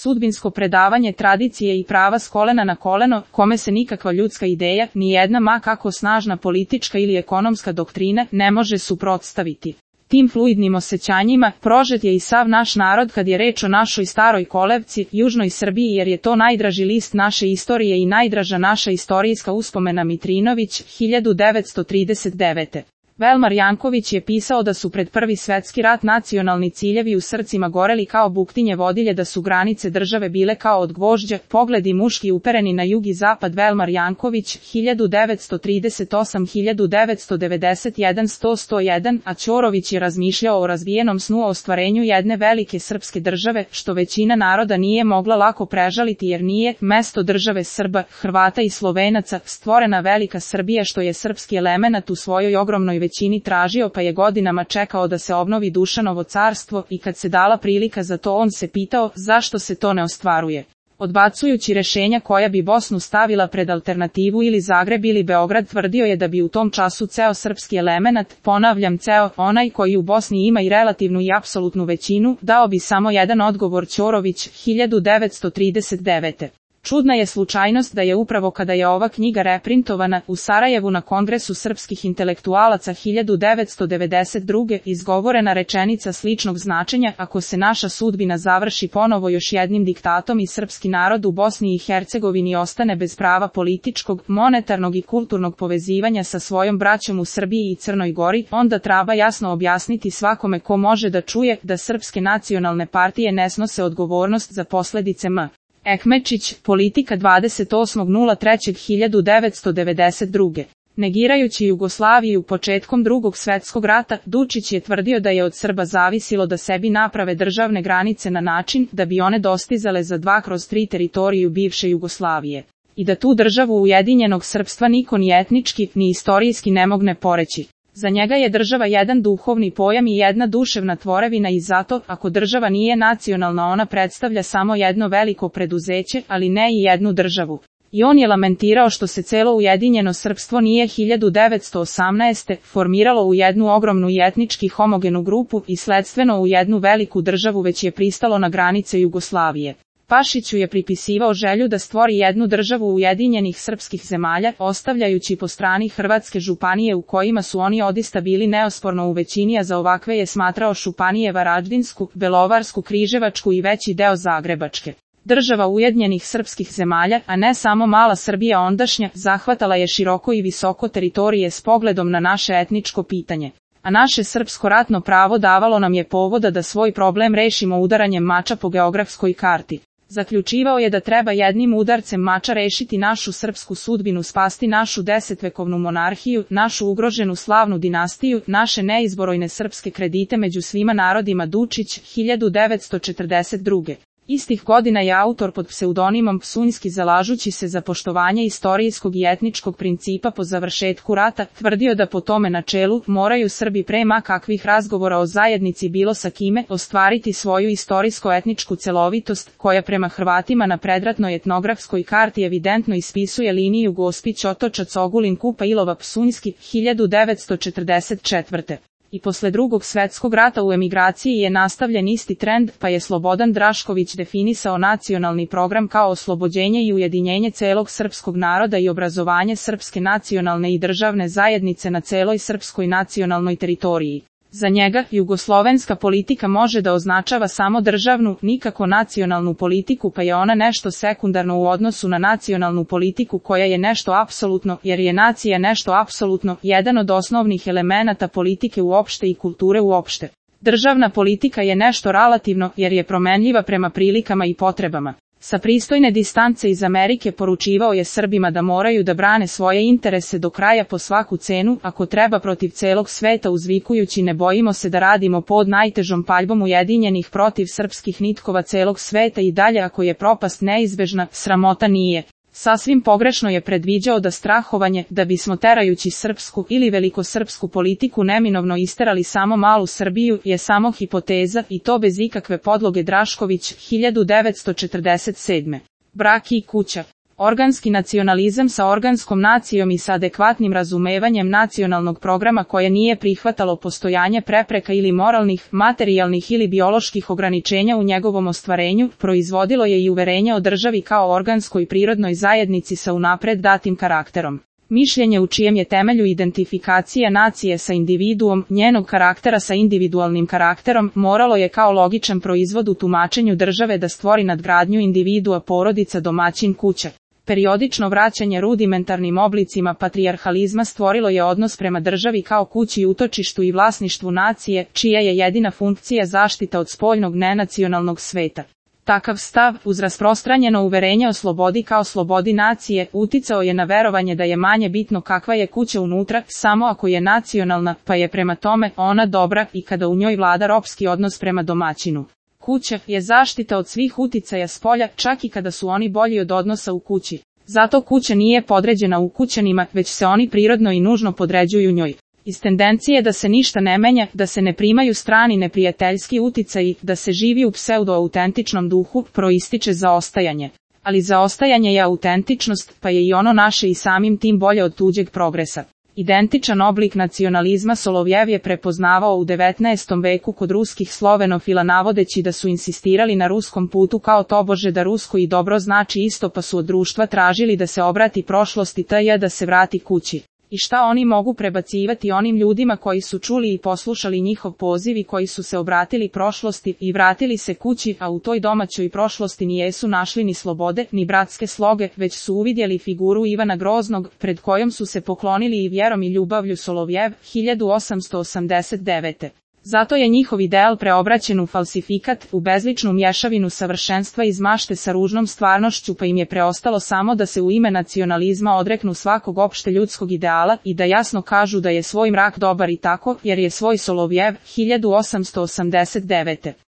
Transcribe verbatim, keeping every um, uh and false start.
Sudbinsko predavanje tradicije i prava s kolena na koleno, kome se nikakva ljudska ideja, ni jedna ma kako snažna politička ili ekonomska doktrina, ne može suprotstaviti. Tim fluidnim osjećanjima prožet je i sav naš narod kad je reč o našoj staroj kolevci, južnoj Srbiji, jer je to najdraži list naše istorije i najdraža naša istorijska uspomena. Mitrinović, hiljadu devetsto trideset devete. Velmar Janković je pisao da su pred Prvi svetski rat nacionalni ciljevi u srcima goreli kao buktinje vodilje, da su granice države bile kao od gvožđa, pogledi muški upereni na jug i zapad. Velmar Janković, hiljadu devetsto trideset osam do hiljadu devetsto devedeset jedan sto sto jedan, a Ćorović je razmišljao o razvijenom snu o ostvarenju jedne velike srpske države, što većina naroda nije mogla lako prežaliti jer nije, mesto države Srba, Hrvata i Slovenaca, stvorena velika Srbija, što je srpski elemenat u svojoj ogromnoj većini tražio, pa je godinama čekao da se obnovi Dušanovo carstvo, i kad se dala prilika za to on se pitao zašto se to ne ostvaruje. Odbacujući rešenja koja bi Bosnu stavila pred alternativu ili Zagreb ili Beograd, tvrdio je da bi u tom času ceo srpski elemenat, ponavljam ceo, onaj koji u Bosni ima i relativnu i apsolutnu većinu, dao bi samo jedan odgovor. Ćorović, hiljadu devetsto trideset devete. Čudna je slučajnost da je upravo kada je ova knjiga reprintovana u Sarajevu na Kongresu srpskih intelektualaca hiljadu devetsto devedeset druge izgovorena rečenica sličnog značenja: ako se naša sudbina završi ponovo još jednim diktatom i srpski narod u Bosni i Hercegovini ostane bez prava političkog, monetarnog i kulturnog povezivanja sa svojom braćom u Srbiji i Crnoj Gori, onda treba jasno objasniti svakome ko može da čuje da srpske nacionalne partije ne snose odgovornost za posledice. M. Ekmečić, Politika dvadeset osmog trećeg hiljadu devetsto devedeset druge. Negirajući Jugoslaviju početkom Drugog svjetskog rata, Dučić je tvrdio da je od Srba zavisilo da sebi naprave državne granice na način da bi one dostizale za dva kroz tri teritoriju bivše Jugoslavije. I da tu državu ujedinjenog srpstva niko ni etnički, ni istorijski ne mogne poreći. Za njega je država jedan duhovni pojam i jedna duševna tvorevina i zato, ako država nije nacionalna, ona predstavlja samo jedno veliko preduzeće, ali ne i jednu državu. I on je lamentirao što se celo ujedinjeno srpstvo nije hiljadu devetsto osamnaeste. formiralo u jednu ogromnu i etnički homogenu grupu i sledstveno u jednu veliku državu, već je pristalo na granice Jugoslavije. Pašiću je pripisivao želju da stvori jednu državu ujedinjenih srpskih zemalja, ostavljajući po strani hrvatske županije u kojima su oni odista bili neosporno u većini, a za ovakve je smatrao županije Varaždinsku, Belovarsku, Križevačku i veći deo Zagrebačke. Država ujedinjenih srpskih zemalja, a ne samo mala Srbija ondašnja, zahvatala je široko i visoko teritorije s pogledom na naše etničko pitanje. A naše srpsko ratno pravo davalo nam je povoda da svoj problem rešimo udaranjem mača po geografskoj karti. Zaključivao je da treba jednim udarcem mača rešiti našu srpsku sudbinu, spasti našu desetvekovnu monarhiju, našu ugroženu slavnu dinastiju, naše neizborojne srpske kredite među svima narodima. Dučić, hiljadu devetsto četrdeset druge. Istih godina je autor pod pseudonimom Psunjski, zalažući se za poštovanje istorijskog i etničkog principa po završetku rata, tvrdio da po tome načelu moraju Srbi pre ma kakvih razgovora o zajednici bilo sa kime ostvariti svoju istorijsko-etničku celovitost, koja prema Hrvatima na predratnoj etnografskoj karti evidentno ispisuje liniju Gospić, Otočac, Ogulin, Kupa, Ilova. Psunjski, hiljadu devetsto četrdeset četvrte. I posle Drugog svjetskog rata u emigraciji je nastavljen isti trend, pa je Slobodan Drašković definisao nacionalni program kao oslobođenje i ujedinjenje celog srpskog naroda i obrazovanje srpske nacionalne i državne zajednice na celoj srpskoj nacionalnoj teritoriji. Za njega, jugoslovenska politika može da označava samo državnu, nikako nacionalnu politiku, pa je ona nešto sekundarno u odnosu na nacionalnu politiku koja je nešto apsolutno, jer je nacija nešto apsolutno, jedan od osnovnih elemenata politike uopšte i kulture uopšte. Državna politika je nešto relativno, jer je promenljiva prema prilikama i potrebama. Sa pristojne distance iz Amerike poručivao je Srbima da moraju da brane svoje interese do kraja po svaku cenu, ako treba protiv celog sveta, uzvikujući: ne bojimo se da radimo pod najtežom paljbom ujedinjenih protiv srpskih nitkova celog sveta, i dalje ako je propast neizbežna, sramota nije. Sasvim pogrešno je predviđao da strahovanje, da bismo terajući srpsku ili velikosrpsku politiku neminovno isterali samo malu Srbiju, je samo hipoteza, i to bez ikakve podloge. Drašković, hiljadu devetsto četrdeset sedme. Brak i kuća. Organski nacionalizam sa organskom nacijom i sa adekvatnim razumevanjem nacionalnog programa koje nije prihvatalo postojanje prepreka ili moralnih, materijalnih ili bioloških ograničenja u njegovom ostvarenju, proizvodilo je i uverenje o državi kao organskoj prirodnoj zajednici sa unapred datim karakterom. Mišljenje u čijem je temelju identifikacija nacije sa individuom, njenog karaktera sa individualnim karakterom, moralo je kao logičan proizvod u tumačenju države da stvori nadgradnju individua, porodica, domaćin, kuća. Periodično vraćanje rudimentarnim oblicima patrijarhalizma stvorilo je odnos prema državi kao kući, utočištu i vlasništvu nacije, čija je jedina funkcija zaštita od spoljnog nenacionalnog sveta. Takav stav, uz rasprostranjeno uverenje o slobodi kao slobodi nacije, uticao je na verovanje da je manje bitno kakva je kuća unutra, samo ako je nacionalna, pa je prema tome ona dobra i kada u njoj vlada ropski odnos prema domaćinu. Kuća je zaštita od svih uticaja spolja, čak i kada su oni bolji od odnosa u kući. Zato kuća nije podređena ukućanima, već se oni prirodno i nužno podređuju njoj. Iz tendencije da se ništa ne menja, da se ne primaju strani neprijateljski uticaji, da se živi u pseudo-autentičnom duhu, proističe zaostajanje. Ali zaostajanje je autentičnost, pa je i ono naše i samim tim bolje od tuđeg progresa. Identičan oblik nacionalizma Solovjev je prepoznavao u devetnaestom veku kod ruskih slovenofila, navodeći da su insistirali na ruskom putu kao tobože da rusko i dobro znači isto, pa su od društva tražili da se obrati prošlosti tj. da se vrati kući. I šta oni mogu prebacivati onim ljudima koji su čuli i poslušali njihov poziv i koji su se obratili prošlosti i vratili se kući, a u toj domaćoj prošlosti nijesu našli ni slobode, ni bratske sloge, već su uvidjeli figuru Ivana Groznog, pred kojom su se poklonili i vjerom i ljubavlju. Solovjev, hiljadu osamsto osamdeset devete. Zato je njihov ideal preobraćen u falsifikat, u bezličnu mješavinu savršenstva iz mašte sa ružnom stvarnošću, pa im je preostalo samo da se u ime nacionalizma odreknu svakog opšte ljudskog ideala i da jasno kažu da je svoj mrak dobar i tako, jer je svoj Solovjev, hiljadu osamsto osamdeset devete.